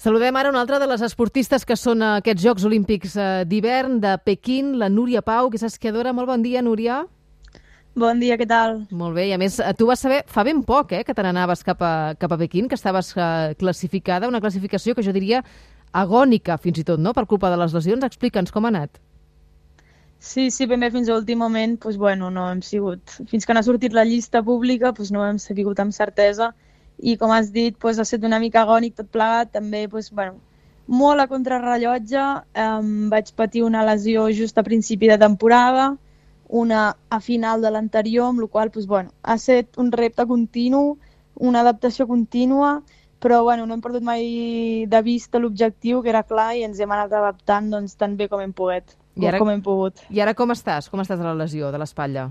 Saludem ara una altra de les esportistes que són a aquests Jocs Olímpics d'hivern de Pequín, la Núria Pau, que és esquiadora. Molt bon dia, Núria. Bon dia, què tal? Molt bé, i a més, tu vas saber fa ben poc que te n'anaves cap a Pequín, que estaves classificada, una classificació que jo diria agònica, fins i tot, no?, per culpa de les lesions. Explica'ns com ha anat. Sí, ben bé, fins a l'últim moment, doncs, bueno, no hem sigut... Fins que no ha sortit la llista pública, doncs, no hem sabut amb certesa. I, com has dit, doncs, ha estat una mica agònic tot plegat. També, doncs, bueno, molt a contrarrellotge. Vaig patir una lesió just a principi de temporada, una a final de l'anterior, amb la qual cosa, doncs, bueno, ha estat un repte continu, una adaptació contínua, però bueno, no hem perdut mai de vista l'objectiu, que era clar, i ens hem anat adaptant doncs, tan bé com hem pogut. I ara com estàs? Com estàs de la lesió, de l'espatlla?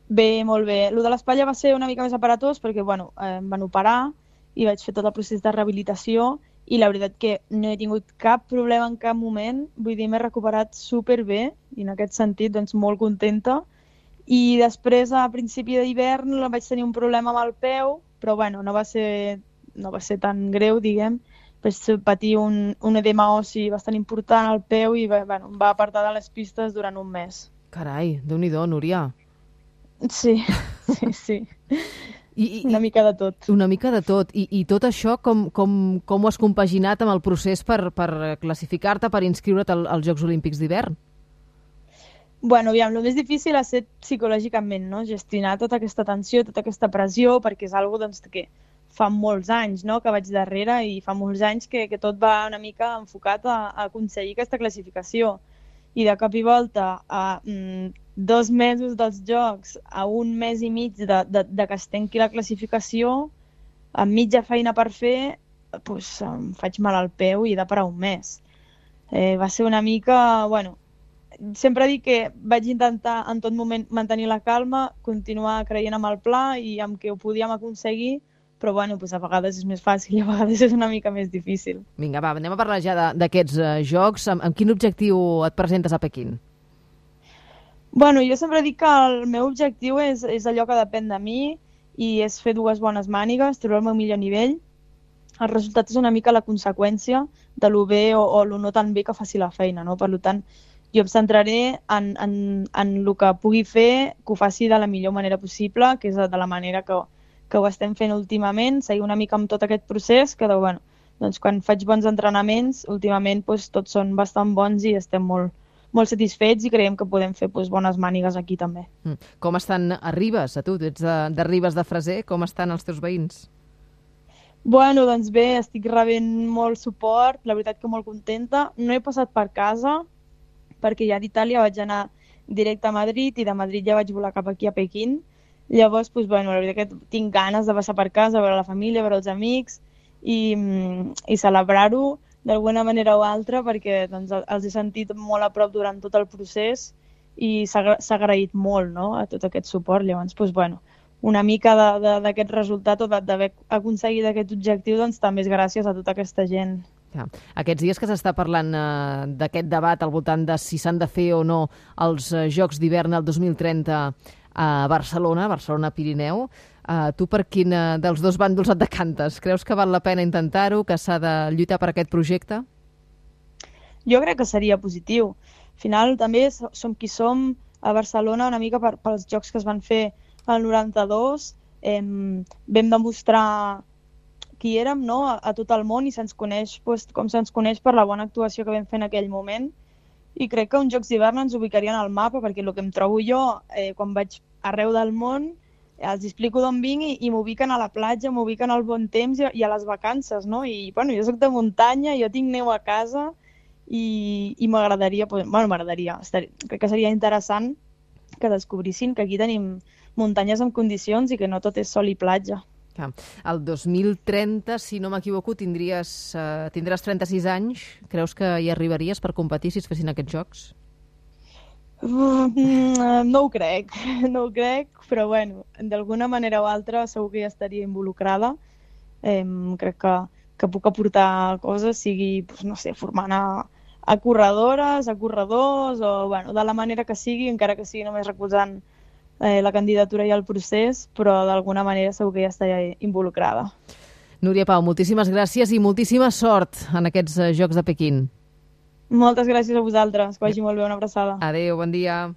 Bé, molt bé. Lo de l'espatlla va ser una mica més aparatós perquè bueno, em van operar i vaig fer tot el procés de rehabilitació i la veritat que no he tingut cap problema en cap moment. Vull dir, m'he recuperat superbé i en aquest sentit doncs, molt contenta. I després, a principi d'hivern, vaig tenir un problema amb el peu, però bueno, no va ser tan greu, diguem. Vaig patir un edema ossi bastant important al peu i bueno, em va apartar de les pistes durant un mes. Carai, Déu-n'hi-do, Núria. Sí. Una mica de tot. Una mica de tot. I tot això com ho has compaginat amb el procés per classificar-te, per inscriure't als Jocs Olímpics d'hivern? Bueno, aviam, el més difícil ha estat psicològicament, no? Gestionar tota aquesta tensió, tota aquesta pressió, perquè és una cosa doncs, que fa molts anys, no?, que vaig darrere i fa molts anys que tot va una mica enfocat a aconseguir aquesta classificació. I de cop i volta, a 2 mesos dels Jocs, a 1 mes i mig de que es tanqui la classificació, amb mitja feina per fer, doncs em faig mal al peu i he de parar un mes. Va ser una mica... Bueno, sempre dic que vaig intentar en tot moment mantenir la calma, continuar creient en el pla i amb què ho podíem aconseguir, però bueno, doncs a vegades és més fàcil i a vegades és una mica més difícil. Vinga, va, anem a parlar ja d'aquests Jocs. Amb quin objectiu et presentes a Pequín? Bueno, jo sempre dic que el meu objectiu és allò que depèn de mi i és fer 2 bones mànigues, treure el meu millor nivell. El resultat és una mica la conseqüència de lo bé o lo no tan bé que faci la feina, no? Per tant, jo em centraré en el que pugui fer, que ho faci de la millor manera possible, que és de la manera que ho estem fent últimament, seguir una mica amb tot aquest procés, que bueno, doncs quan faig bons entrenaments, últimament doncs, tots són bastant bons i estem molt satisfets i creiem que podem fer doncs, bones mànigues aquí també. Com estan a Ribes, a tu? Tu ets de Ribes de Freser, com estan els teus veïns? Bueno, doncs bé, estic rebent molt suport, la veritat que molt contenta. No he passat per casa, perquè ja d'Itàlia vaig anar directe a Madrid i de Madrid ja vaig volar cap aquí a Pequín. Llavors, doncs, bueno, la veritat que tinc ganes de passar per casa, veure la família, veure els amics i celebrar-ho d'alguna manera o altra perquè doncs, els he sentit molt a prop durant tot el procés i s'ha agraït molt, no?, a tot aquest suport. Llavors, doncs, bueno, una mica d'aquest resultat o d'haver aconseguit aquest objectiu doncs, també és gràcies a tota aquesta gent. Aquests dies que s'està parlant d'aquest debat al voltant de si s'han de fer o no els Jocs d'hivern el 2030 a Barcelona Pirineu, tu per quin dels dos bàndols et decantes? Creus que val la pena intentar-ho, que s'ha de lluitar per aquest projecte? Jo crec que seria positiu. Al final també som qui som a Barcelona una mica pels jocs que es van fer al 92. Vam demostrar qui érem, no?, a tot el món i se'ns coneix com se'ns coneix per la bona actuació que vam fer en aquell moment. I crec que uns Jocs d'hivern ens ubicarien al mapa, perquè el que em trobo jo quan vaig arreu del món, els explico d'on vinc i m'ubiquen a la platja, m'ubiquen al bon temps i a les vacances, no? I bueno, jo soc de muntanya, jo tinc neu a casa i m'agradaria, crec que seria interessant que descobrissin que aquí tenim muntanyes en condicions i que no tot és sol i platja. El 2030, si no m'equivoco, tindràs 36 anys. Creus que hi arribaries per competir si es fessin aquests jocs? No ho crec, però bueno, d'alguna manera o altra segur que ja estaria involucrada. Crec que puc aportar coses, sigui, no sé, formant a corredores, a corredors, o bueno, de la manera que sigui, encara que sigui només recolzant la candidatura i el procés, però d'alguna manera segur que ja estaria involucrada. Núria Pau, moltíssimes gràcies i moltíssima sort en aquests Jocs de Pequín. Moltes gràcies a vosaltres, que vagi molt bé, una abraçada. Adéu, bon dia.